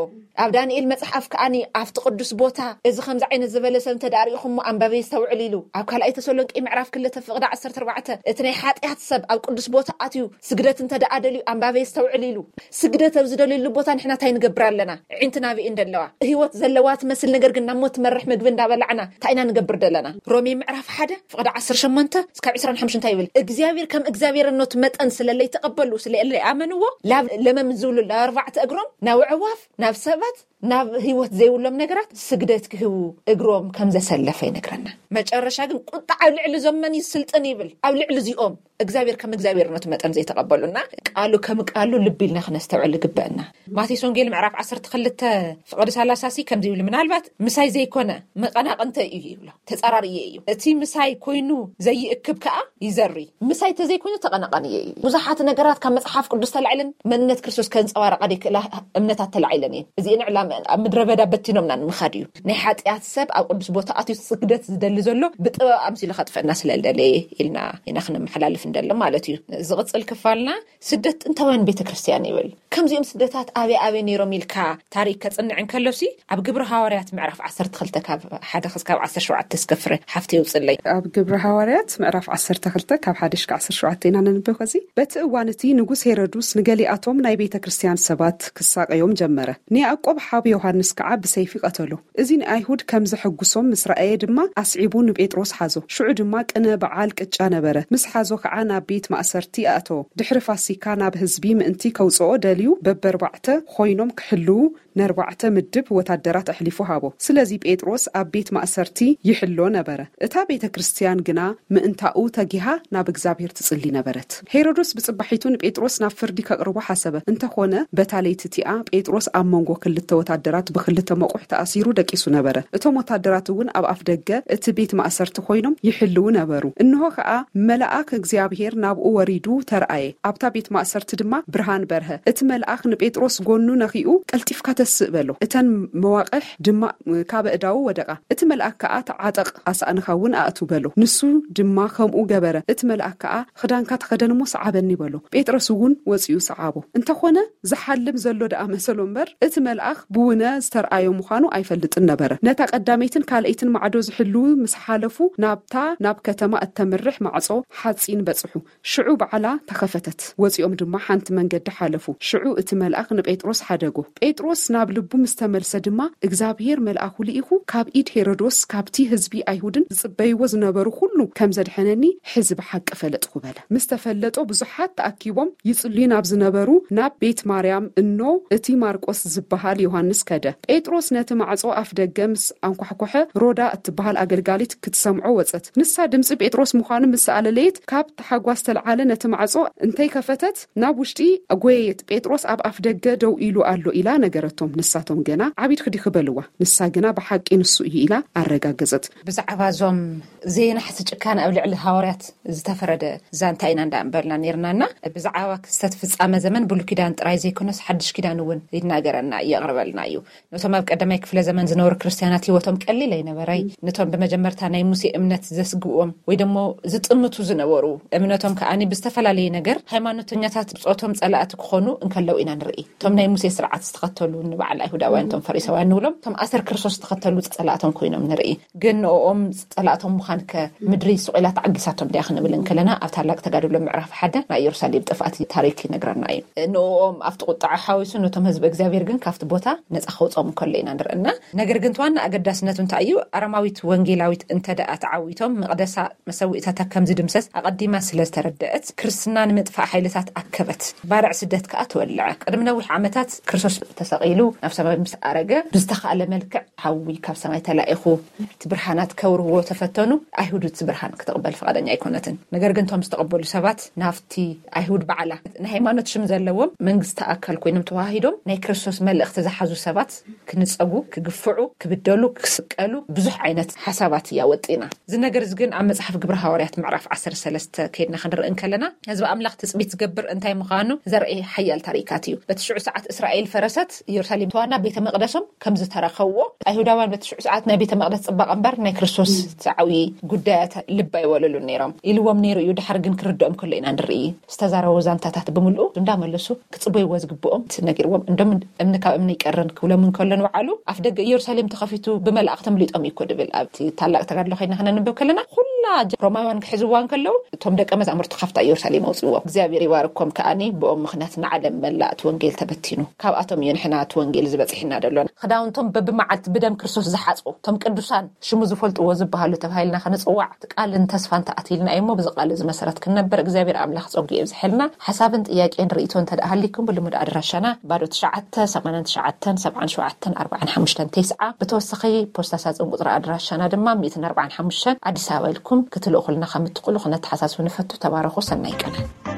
ኣብ ዳንኤል መፅሓፍ ከኣኒ ኣብቲ ቅዱስ ቦታ እዚ ከምዚ ዓይነት ዝበለ ሰብ እንተ ደኣ ርኢኹሞ ኣንባቢ የስተውዕል ኢሉ። ኣብ ካልኣይ ተሰሎንቄ ምዕራፍ ክልተ ፍቕዲ ዓሰርተ ኣርባዕተ እቲ ናይ ሓጢኣት ሰብ ኣብ ቅዱስ ቦታ ኣትዩ ስግደት እንተ ደኣ ደልዩ ኣንባቢ የስተውዕል ኢሉ። ስግደት ኣብ ዝደልየሉ ቦታ ንሕና እንታይ ንገብር ኣለና? ዕንትና ብእን ደለዋ ህይወት ዘለዋ ትመስል ነገር ግን ናብ ሞት ትመርሕ ምግቢ እንዳበላዕና እንታይ ኢና ንገብር ደለና? ሮሜ ምዕራፍ ሓደ ፍቕዲ ዓሰርተ ሸሞንተ እስካብ ዕስራን ሓሙሽተ እንታይ ይብል እግዚኣብሔር ከም እግዚኣብሔርነቱ መጠን ስለለይተቐበሉ ስለለይኣመንዎ ላብ ለመም ዝብሉ ላብ ኣርባዕተ እግሮም ናብ ኣዕዋፍ ናብ ሰባት ናብ ህይወት ዘይብሎም ነገራት ስግደት ክህቡ እግሮም ከም ዘሰለፈ ይነግረና። መጨረሻ ግን ቁጣ ኣብ ልዕሊ እዞም መን ይስልጥን ይብል ኣብ ልዕሊ እዚኦም እግዚኣብሔር ከም እግዚኣብሔርነቱ መጠን ዘይተቐበሉና ቃሉ ከም ቃሉ ልቢ ኢልና ክነስተውዕል ይግበአና። ማቴዎስ ወንጌል ምዕራፍ ዓሰርተ ክልተ ፍቕዲ ሰላሳ ሲ ከምዚ ይብል ምናልባት ምሳይ ዘይኮነ መቐናቕንተ እዩ ይብሎ። ተጻራርየ እዩ። እቲ ምሳይ ኮይኑ ዘይእክብ ከኣ ይዘሪ። ምሳይ ተዘይኮይኑ ተቐናቐንየ እዩ። ብዙሓት ነገራት ካብ መጽሓፍ ቅዱስ ተላዒለን መንነት ክርስቶስ ከንጸባረቓ ደይክእላ እምነታት ተላዒለን እየን። እዚኤን ዕላመ ኣብ ምድረ በዳ በቲኖምና ንምኻድ እዩ። ናይ ሓጢኣት ሰብ ኣብ ቅዱስ ቦታ ኣትዩ ስግደት ዝደሊ ዘሎ ብጥበብ ኣምሲሉ ከጥፈና ስለ ዝደለየ ኢልና ኢና ክነመሓላልፍ እንደሎ ማለት እዩ። ዝቕጽል ክፋልና ስደት ጥንታውያን ቤተ ክርስቲያን ይብል። ከምዚኦም ስደታት ኣበይ ኣበይ ነይሮም ኢልካ ታሪክ ከጽንዕ እንከሎሲ ኣብ ግብሪ ሃዋርያት ምዕራፍ ዓሰርተ ክልተ ካብ ሓደ ክስካብ ዓሰርተ ሸውዓተ እስከ ፍረ ሓፍቲ ይውጽለይ። ኣብ ግብሪ ሃዋርያት ምዕራፍ ዓሰርተ ክልተ ካብ ሓደ ሽካ ዓሰርተ ሸውዓተ ኢና ነንብብ። ከዚ በቲ እዋን እቲ ንጉስ ሄሮዱስ ንገሊኣቶም ናይ ቤተ ክርስቲያን ሰባት ክሳቀዮም ጀመረ። ንያዕቆብ ሓው ዮሃንስ ከዓ ብሰይፊ ቀተሎ። እዚ ንኣይሁድ ከም ዘሐጉሶም ምስ ረኣየ ድማ ኣስዒቡ ንጴጥሮስ ሓዞ። ሽዑ ድማ ቅነ በዓል ቅጫ ነበረ። ምስ ሓዞ ከዓ ናብ ቤት ማእሰርቲ ኣእተዎ። ድሕሪ ፋሲካ ናብ ህዝቢ ምእንቲ ከውፅኦ ደልዩ በበርባዕተ ኮይኖም ክሕልዉ ነርባዕተ ምድብ ወታደራት ኣሕሊፉ ሃቦ። ስለዚ ጴጥሮስ ኣብ ቤት ማእሰርቲ ይሕሎ ነበረ። እታ ቤተ ክርስቲያን ግና ምእንታኡ ተጊሃ ናብ እግዚኣብሔር ትጽሊ ነበረት። ሄሮዶስ ብጽባሒቱ ንጴጥሮስ ናብ ፍርዲ ከቕርቦ ሓሰበ። እንተኾነ በታ ለይቲ እቲኣ ጴጥሮስ ኣብ መንጎ ክልተ ወታደራት ብክልተ መቑሕ ተኣሲሩ ደቂሱ ነበረ። እቶም ወታደራት እውን ኣብ ኣፍ ደገ እቲ ቤት ማእሰርቲ ኮይኖም ይሕልዉ ነበሩ። እንሆ ከኣ መልኣክ እግዚኣብሔር ናብኡ ወሪዱ ተርኣየ። ኣብታ ቤት ማእሰርቲ ድማ ብርሃን በርሀ። እቲ መልኣኽ ንጴጥሮስ ጎኑ ነኺኡ፣ "ቀልጢፍካ ተስእ" በሎ። እተን መዋቕሕ ድማ ካብ ኣእዳዉ ወደቓ። እቲ መልኣክ ከኣ፣ "ተዓጠቕ፣ ኣሳእንኻ እውን ኣእቱ" በሎ። ንሱ ድማ ከምኡ ገበረ። እቲ መልኣክ ከኣ፣ "ክዳንካ ተኸደን እሞ ሰዓበኒ" በሎ። ጴጥሮስ እውን ወጺኡ ሰዓቦ። እንተኾነ ዝሓልም ዘሎ ደኣ መሰሎ እምበር፣ እቲ መልኣኽ ብውነ ዝተርኣዮ ምዃኑ ኣይፈልጥን ነበረ። ነታ ቀዳመይትን ካልኣይትን ማዕዶ ዝሕልዉ ምስ ሓለፉ፣ ናብታ ናብ ከተማ እተምርሕ ማዕጾ ሓጺን በጽሑ። ሽዑ ባዕላ ተኸፈተት። ወጺኦም ድማ ሓንቲ መንገዲ ሓለፉ። ሽዑ እቲ መልኣኽ ንጴጥሮስ ሓደጎ። ጴጥሮስ ናብ ልቡ ምስ ተመልሰ ድማ፣ "እግዚኣብሔር መልኣኹ ልኢኹ፣ ካብ ኢድ ሄሮዶስ፣ ካብቲ ህዝቢ ኣይሁድን ዝጽበይዎ ዝነበሩ ኩሉ ከም ዘድሐነኒ፣ ሕዚ ብሓቂ ፈለጥኩ" በለ። ምስ ተፈለጦ ብዙሓት ተኣኪቦም ይጽልዩ ናብ ዝነበሩ ናብ ቤት ማርያም እኖ እቲ ማርቆስ ዝበሃል ዮሃንስ ከደ። ጴጥሮስ ነቲ ማዕጾ ኣፍ ደገ ምስ ኣንኳሕኮሐ፣ ሮዳ እትበሃል ኣገልጋሊት ክትሰምዖ ወጸት። ንሳ ድምጺ ጴጥሮስ ምዃኑ ምስ ኣለለየት፣ ካብ ታሕጓስ ተልዓለ። ነቲ ማዕጾ እንተይከፈተት ናብ ውሽጢ ኣጎየየት። "ጴጥሮስ ኣብ ኣፍ ደገ ደው ኢሉ ኣሎ" ኢላ ነገረቶም። ንሳቶም ገና፣ "ዓቢድኪ ዲኺ?" በልዋ። ንሳ ግና፣ "ብሓቂ ንሱ እዩ" ኢላ ኣረጋገጸት። ብዛዕባ እዞም ዘይናሕሲ ጭካነ ኣብ ልዕሊ ሃዋርያት ዝተፈረደ ዛንታ ኢና እንዳንበልና ነይርናና። ብዛዕባ ክስተት ፍጻመ ዘመን ብሉይ ኪዳን ጥራይ ዘይኮነስ ሓድሽ ኪዳን እውን ይናገረና፣ የቕርበልና እዩ። ነቶም ኣብ ቀዳማይ ክፍለ ዘመን ዝነበሩ ክርስትያናት ህይወቶም ቀሊል ኣይነበረይ። ነቶም ብመጀመርታ ናይ ሙሴ እምነት ዘስግዎም ወይ ደሞ ዝጥምቱ ዝነበሩ፣ እምነቶም ከኣኒ ብዝተፈላለየ ነገር ሃይማኖተኛታት ብጾቶም ጸላእቲ ክኾኑ እንከለዉ ኢና ንርኢ። እቶም ናይ ሙሴ ስርዓት ዝተኸተሉ ንበዓል ኣይሁዳውያን፣ እቶም ፈሪሳውያን ንብሎም፣ እቶም ኣሰር ክርስቶስ ዝተኸተሉ ጸላእቶም ኮይኖም ንርኢ። ግን ንኦም ጸላእቶም ምዃን ከ ምድሪ ስቕ ኢላ ተዓጊሳቶም ድያ ክንብል እንከለና፣ ኣብ ታላቅ ተጋድሎ ምዕራፍ ሓደ ናይ ኢየሩሳሌም ጥፍኣት ታሪክ ይነግረና እዩ። ንኦም ኣብቲ ቁጥዓ ሓዊሱ ነቶም ህዝቢ እግዚኣብሔር ግን ካብቲ ቦታ ነጻ ከውጽኦም እንከሎ ኢና ንርእና። ነገር ግን እቲ ዋና ኣገዳስነቱ እንታይ እዩ? ኣረማዊት ወንጌላዊት እንተ ደኣ ተዓዊቶም መቕደሳ መሰዊእታታ ከም ዝድምሰስ ኣቐዲማ ስለ ዝተረደአት፣ ክርስትና ንምጥፋእ ሓይልታት ኣከበት። ባርዕ ስደት ከኣ ተወልዐ። ቅድሚ ነዊሕ ዓመታት ክርስቶስ ተሰቒሉ ናብ ሰማይ ምስ ኣረገ፣ ብዝተኻእለ መልክዕ ሓዊ ካብ ሰማይ ተላኢኹ፣ እቲ ብርሃናት ከብርህዎ ተፈተኑ። ኣይሁድ እቲ ብርሃን ክትቕበል ፍቓደኛ ኣይኮነትን። ነገር ግን እቶም ዝተቐበሉ ሰባት ናብቲ ኣይሁድ ባዕላ ናይ ሃይማኖት ሽም ዘለዎም መንግስቲ ኣካል ኮይኖም ተዋሂዶም ናይ ክርስቶስ መልእኽቲ ዝሓዙ ሰባት ክንጸጉ፣ ክግፍዑ፣ ክብደሉ፣ ክስቀሉ ብዙሕ ዓይነት ሓሳባት እያ ወጢና። እዚ ነገር እዚ ግን ኣብ መጽሓፍ ግብሪ ሃዋርያት ምዕራፍ ዓሰርተ ሰለስተ ከይድና ክንርኢ እንከለና፣ ህዝቢ ኣምላኽ ትጽቢት ዝገብር እንታይ ምዃኑ ዘርኢ ሓያል ታሪካት እዩ። በቲ ሽዑ ሰዓት እስራኤል ፈረሰት፣ ኢየሩሳሌም ተዋና ቤተ መቕደሶም ከም ዝተረኸብዎ፣ ኣይሁዳውያን በቲ ሽዑ ሰዓት ናይ ቤተ መቕደስ ጽባቐ እምበር ናይ ክርስቶስ እቲ ዓብዪ ጉዳያት ልቢ ኣይወለሉን ነይሮም። ኢልዎም ነይሩ እዩ፣ ድሓር ግን ክርድኦም ከሎ ኢና ንርኢ። ዝተዛረቡ ዛንታታት ብምልኡ እንዳመለሱ ክጽበይዎ ዝግብኦም ነጊርዎም። እንዶም እምኒ ካብ እምኒ ይቀርን ክብሎም እንከሎ ንባዕሉ፣ ኣፍ ደገ ኢየሩሳሌም ተኸፊቱ ብመላእኽቲ ኣምሊጦም እዩ እኮ ድብል። ኣብቲ ታላቅ ተጋድሎ ከይድና ክነንብብ ከለና፣ ኩላ ጀ-፣ ሮማውያን ክሕዝዋ እንከለዉ፣ እቶም ደቀ መዛሙርቲ ካብታ ኢየሩሳሌም ኣውጽእዎም። እግዚኣብሔር ይባርኮም ከኣኒ፣ ብኦም ምኽንያት ንዓለም መላእ እቲ ወንጌል ተበቲኑ። ካብኣቶም እዩ ንሕና እቲ ወንጌል ዝበጺሕና ደሎና። ክዳውንቶም በብመዓልቲ ብደም ክርስቶስ ዝሓጽቡ፣ እቶም ቅዱሳን ሽሙ ዝፈልጥዎ ዝበሃሉ ተባሂልና ክንጽዋዕ፣ እቲ ቃልን ተስፋን ተኣትይልና እዩ እሞ፣ ብዚ ቃል እዚ መሰረት ክንነብር እግዚኣብሔር ኣምላኽ ጸጉ የብዝሐልና። ሓሳብን ጥያቄን ርእይቶ እንተ ደኣ ሃሊኩም፣ ብልሙድ ኣድራሻና ባዶ ትሽዓተ፣ ሰማንያን ትሽዓተን፣ ሰብዓን ሸውዓተን፣ ኣርባዓን ሓሙሽተን፣ ተስዓ፣ ብተወሳኺ ፖስታ ሳጥን ቁጽሪ ኣድራሻና ድማ ሚእትን ኣርባዓን ሓሙሽተን ኣዲስ ኣበባ ኢልኩም ክትልእኹልና ከም እትኽእሉ ክነተሓሳስብ ንፈቱ። ተባረኹ። ሰናይ ቀነ።